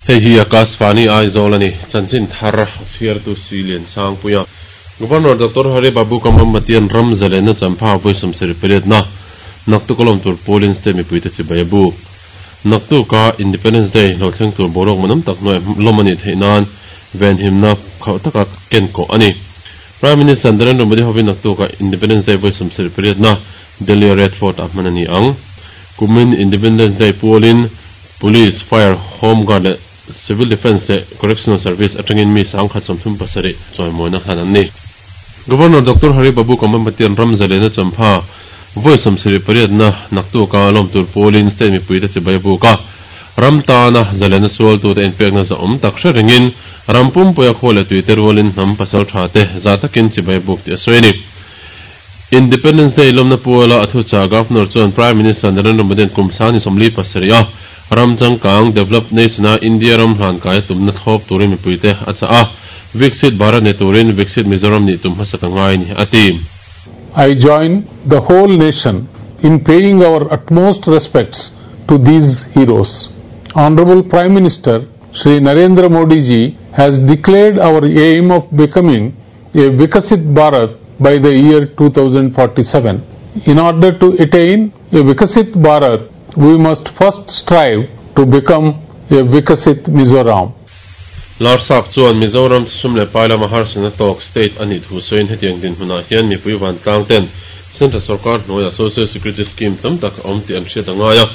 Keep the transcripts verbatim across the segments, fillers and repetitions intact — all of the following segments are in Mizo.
Hei hi Akashvani Aizawl ani chanchin thar chhiar tu Silian Sangpuia Governor Doctor Hari Babu Kambhampatian ram zalena champha voisum seri na naktu kolom tur polling state mi puite chi bayabu naktu ka Independence Day lo thleng tur borok manam tak noi lomani theinan ven himna khau taka ken ko ani Prime Minister Narendra Modi hovin naktu ka Independence Day voisum seri na Delhi Red Fort ahmanani ang kumin Independence Day polling Police, Fire, Home Guard, Civil Defense Correctional Service atangin mi sang khat somthum pasari choimoina hanan ni Governor Doctor Hari Babu Kambhampatian ram zalena champha voisum seri pariat na naktu ka lom tur polling state mi puita chibai ka ramta na zalena sual tu te inpek na za om tak ringin rampum poya khole tuiter walin nam pasal tha te zatakin chibai buk ti soini Independence Day lomna puala athu cha Governor chuan Prime Minister Narendra Modi kumsani somli pasaria ram changkang develop nation a India ram hlan kai tumna thop turin mi puite acha a Viksit Bharat ne turin Viksit Mizoram ni tum hasakangai ni ati. I join the whole nation in paying our utmost respects to these heroes. Honorable Prime Minister Shri Narendra Modi ji has declared our aim of becoming a Vikasit Bharat by the year two thousand forty-seven. In order to attain a Vikasit Bharat, we must first strive to become a Vikasit Mizoram. Larsap chuan Mizoram sumle paila mahar sanatok state ani thu soin hetiang din huna hian mi puiwan tlangten Central Sarkar hnuaia Social Security Scheme tam tak awm tih an hriat angai a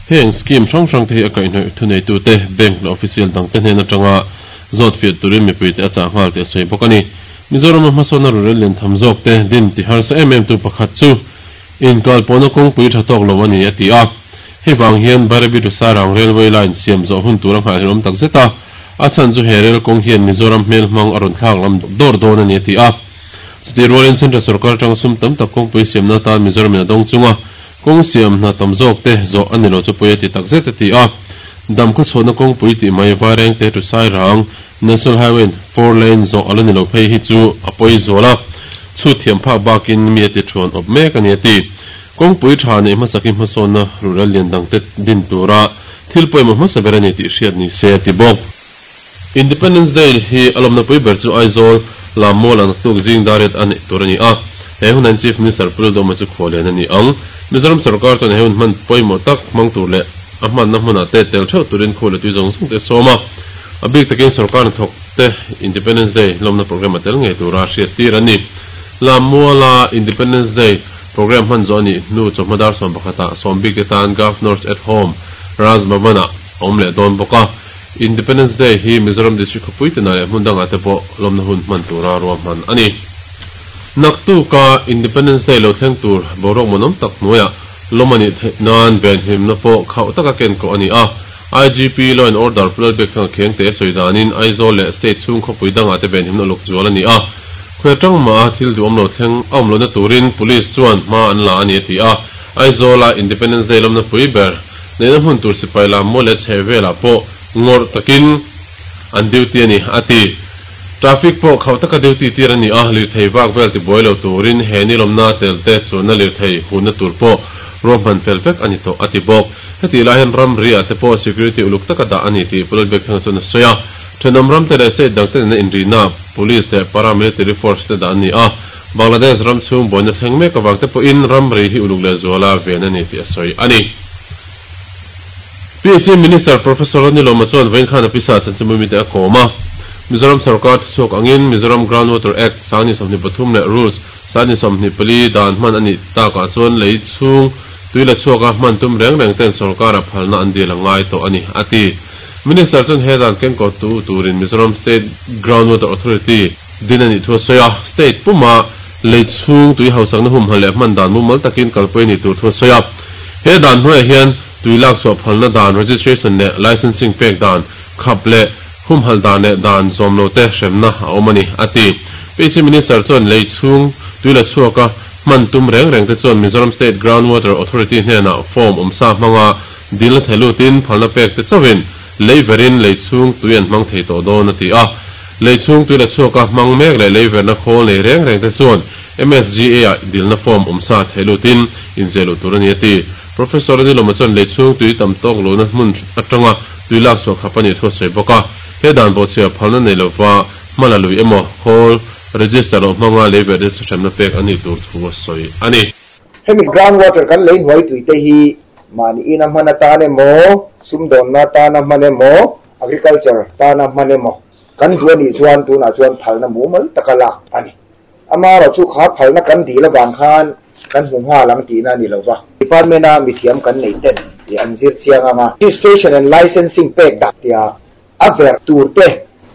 heng scheme hrang hrang te hi a kaihhnawih thunei tu te bank leh official dang te hnen atanga zawt fiah turin mipui te a chah nghal tih a sawi bawk ani. Mizoram a hmasawn a rural lian tham zawk te din ti harsa em em tu pakhat chu inkal pawhna kawngpui tha tawk lo ani a ti a. Hei vang hian Barabi to Sarang railway line siam zawh hun tur a nghah hlawm tak zet a a chan chu he rail kawng hian Mizoram hmel hmang a rawn thlak lam dawr dawn ani a ti a. Chuti rualin Central Sarkar atanga sum tam tak kawngpui siamna tan Mizoram in a dawng chunga kawng siam hna tam zawk te zawh ani lo chu pui a ti tak zet a ti a. Dam khaw chhuahna kawngpui tih mai Vaireng te to Sairang National Highway four lane zawh ala ni lo phei hi chu a pawi zawl a chu thiam phak bakin mi a ti thuan awp mek ani a ti. Kawngpui tha nei hmasakin hmasawnna rural lian dang te din tura thil pawimawh hmasa ber ani tih hriat ni se a ti bawk. Independence Day hi alawmna pui ber chu Aizawl Lammual an tuk zing daret ani tur ani a he hunan Chief Minister Pul Doma chu khawlen ani ang. Mizoram Sarkar chuan he hun hman pawimawh tak hmang tur leh a hmanna hmunah te tel theuh turin khawle tui zawng zawng te sawm a a bik takin sarkar hnathawk te Independence Day lawmna program a tel ngei tura hriat tir ani. Lammuala Independence Day program hman zawh ani nu chawhmadar sawm pakhata sawm bik te tan Governors at Home Raj Bhavana awm leh dawn bawk a. Independence Day hi Mizoram District khawpui te leh hmun dangah te pawh lawmna hun hman tura ruahman ani. Naktu ka Independence Day lo thleng tur boruak manawm tak hnuaiah lawmani nan ven himna pawh khauh taka ken ko ani a. I G P Law and Order Pulal Bek thang kheng te sawi danin Aizawl leh state chhung khawpui dangah te ven himna luk zual ani a. Khwe tang ma thil duam lo thleng awm lo na turin police chuan hma an la ani a ti a. Aizawl a Independence Day lawmna pui ber neina hmun tur sipai lam maw leh chhehvelah pawh ngawr takin an duty ani a ti. Traffic pawh khauh taka duty tir ani a lirthei vak vel ti buai lo turin he ni lawmna tel te chuanna lirthei hunna tur pawh ruahman fel vek ani tawh a ti bawk. Heti lai hian ram ri ah te pawh security uluk taka dah ani tih Pulal Bek thang chuan a sawi a. Thenawm ram te leh state dang te nena inrina police leh paramilitary force te dah ani a. Bangladesh ram chhung buaina thleng mek awang te pawhin ram ri hi uluk leh zuala ven ani tih a sawi ani. P C Minister Professor Ronnie chuan vawiin khan a pisa chanchimui mi te a kawm a. Mizoram Sarkar chhuak angin Mizoram Groundwater Act sangni sawmhnih pathum leh Rules sangni sawmhnih pali dan hman ani takah chuan lei chhung tuila chhuaka hman tum reng reng ten sarkar a phalna an dil angai tawh ani a ti. Minister chuan he dan ken ko tu turin Mizoram State Groundwater Authority din ani thu a sawi a. State puma lei chhung tui hausakna hum hal leh hman dan mumal takin kalpui ni tur thu a sawi a. He dan hnuaiah hian tuilak chhuah phalna dan registration leh licensing pek dan khap leh hum hal dan leh dan zawm lo te hremna a awm ani a ti. P C Minister chuan lei chhung tuila chhuaka hman tum reng reng te chuan Mizoram State Groundwater Authority hnenah form awmsa hmanga dil thelutin phalna pek te chawin lei verin lei chhung tui an hmang thei tawh dawn a ti a. Lei chhung tuila chhuaka hmang mek leh lei verna khawl nei reng reng te chuan M S G A ah dilna form awmsa thelutin inzelu tur ani a ti. Professor Ronnie Loma chuan lei chhung tui tam tawk lo na hmun atanga Tuilak so khapani thu sei boka he dan bo chia phalna nei lova mala lui emo khol register lo manga le ve de thremna pek ani tur thu soi ani hemi ground water kan lein hoi tuite hi mani ina mana ta ne mo sumdon na ta na mane mo agriculture ta na mane mo kan duani chuan tu na chuan phalna mumal takala ani amaro chu kha phalna kan dila bang khan kan hungha lang ti na ni lova department a mithiam kan nei ten ti anzir chianga ma registration and licensing pek dak tia aver turte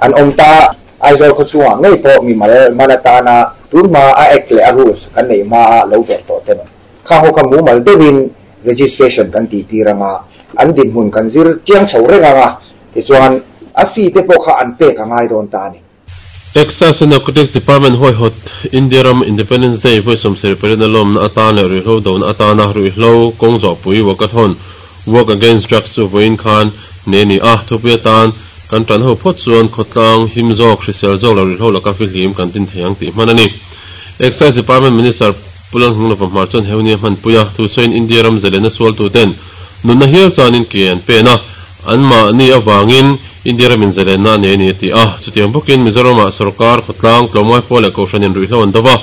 an omta Aizawl kho chuwa ngei po mi mal manata na turma a ekle a rules kan nei ma lo ver to ten kha ho ka mumal devin registration kan ti tiranga an din hun kan zir chiang chho renga nga ti chuan a fi te po kha an pe ka ngai don ta ni Excise and Narcotics Department hoi hot India ram Independence Day voi som seri perina lom na atan le ruihlo do na atana ruihlo kong zo pui wakathon work against drugs chu voin khan ne ni a thupia tan kan tan ho phot chuan khotlang himzo khrisel zo lo ruihlo laka fi hlim kan tin theiang ti manani Excise Department Minister Pulan hung lo mar chon heunia man puya thu soin India ram zelena sual tu ten nunna hial chanin ke an pe na an ma ni awangin India ram in zelena ne ni ti a chutiang bokin Mizoram sarkar khotlang tlomai pole ko hranin ruihlo an dawa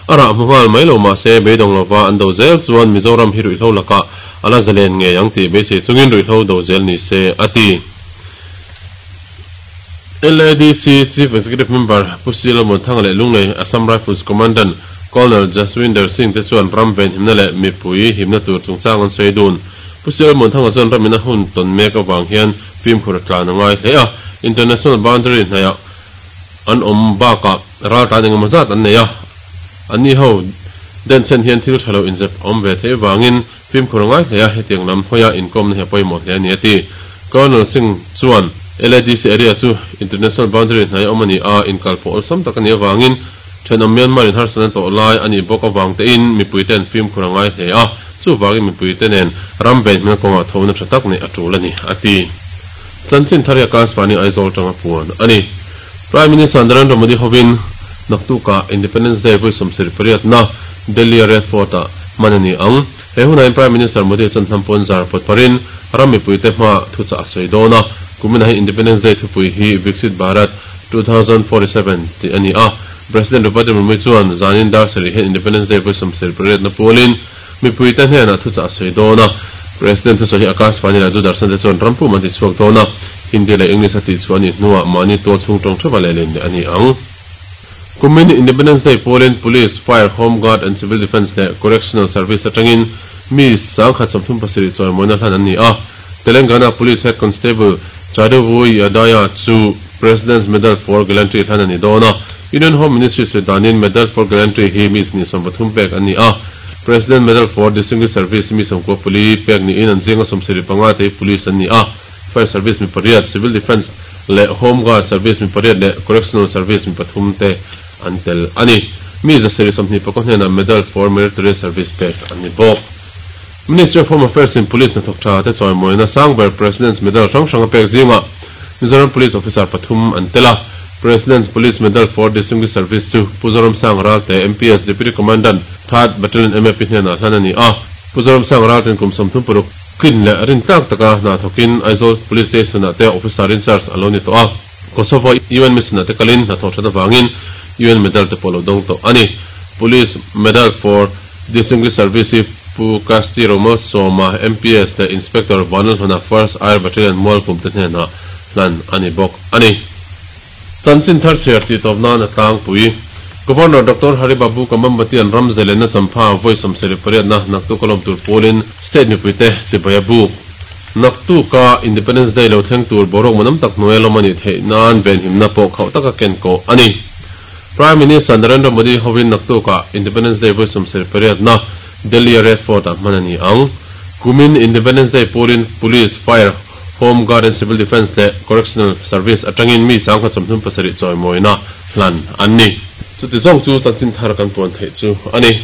ara muhal mai lo ma se beidong lova an do zel chuan Mizoram hi ruihlo laka ala zelen nge yang ti be se chungin ruihlo do zel ni se ati L A D C Chief Executive Member Pusila Monthang le Lunglei Assam Rifles Commandant Colonel Jaswinder Singh te chuan ramven himna le mipui himna tur chungchang an saidun Pusila Monthang chuan ramina hun ton mek awang hian fim khur tlan angai hle a international boundary hnaya an om baka ral tan engemaw zat an nei a ani ho den chen hian thil thalo inzep om ve thei wangin fim khur ngai hle a hetiang lam hoya inkom na he pawimawh hle ani ati Colonel Singh chuan L A D C area chu international boundary hnai omani a inkal pawh sam tak ani awangin thenawm Myanmar in harsana to lai ani bawk awang te in mipui ten fim khur ngai hle a chu wangin mipui te nen ram ven hmel kawnga thona tha tak nei a tul ani ati chanchin tharia kaspani Aizawl tanga puan ani Prime Minister Narendra Modi hovin naktuka Independence Day voi somseri pariat na Delhi Red Fort a manani ang he hunain Prime Minister Modi chan hnampon zar pot parin ram mipui te hma thu cha saidona kumina hi Independence Day thupui hi Viksit Bharat two thousand forty-seven ti ani a President Draupadi Murmu chuan zanin dar sari he Independence Day voi somseri pariat na polin mipui te hnena thu cha saidona President chu hi Akashvani la Doordarshan te chuan rampu man ti chuak dona Hindi le English ati chuan nuwa mani to chung tong thaba le len ani ang Kumin Independence Day Poland Police Fire Home Guard and Civil Defence le Correctional Service atangin mi sangkhat samthum pasiri choi moina hlan ani a Telangana Police Head Constable Chadavui Yadaya chu President's Medal for Gallantry hlan ani dona Union Home Ministry Sudanin Medal for Gallantry hi mi ni sombathum pek ani a President Medal for Distinguished Service mi somko puli pek ni in an zinga somsiri panga te police ani a Fire Service mi pariat Civil Defence le Home Guard Service mi pariat le Correctional Service mi pathum te antel ani mi za seri somni pakon na Medal for Military Service pek ani bok Ministry of Home Affairs in Police na thokcha te choi moina sangber President's Medal rang rang pek zinga Mizoram Police Officer pathum antela President's Police Medal for Distinguished Service chu Puzoram Sang Ralte M P S Deputy Commandant third Battalion M A P hna hlanani a Puzoram Sang Ralte kum somthum puruk kin le rin tak taka na thokin Aizawl Police Station ate officer in charge aloni to a Kosovo U N mission ate kalin na thokcha ta wangin U N Medal te polo dong to ani Police Medal for Distinguished Service Pu Kasti Romal Soma M P S the Inspector Vanal Hona First Air Battalion Mall Pum te hna hlan ani bok ani Chanchin thar share ti topna na tlang pui Governor Doctor Hari Babu Kamambati an ramzele na champha voi somseri pariat na naktu kolom tur polin state mi puite chibaya bu naktu ka Independence Day lo thleng tur borok manam tak noel mani thei nan ben himna po khau taka ken ko ani Prime Minister Narendra Modi hovin naktu ka Independence Day voi somseri pariat na Delhi Red Fort a manani ang Kumin Independence Day polin Police Fire Home Guard and Civil Defence le Correctional Service atangin mi sangkhat somthum pasari choi moina hlan anni chu ti zong chu chanchin thar kan puan thei chu ani.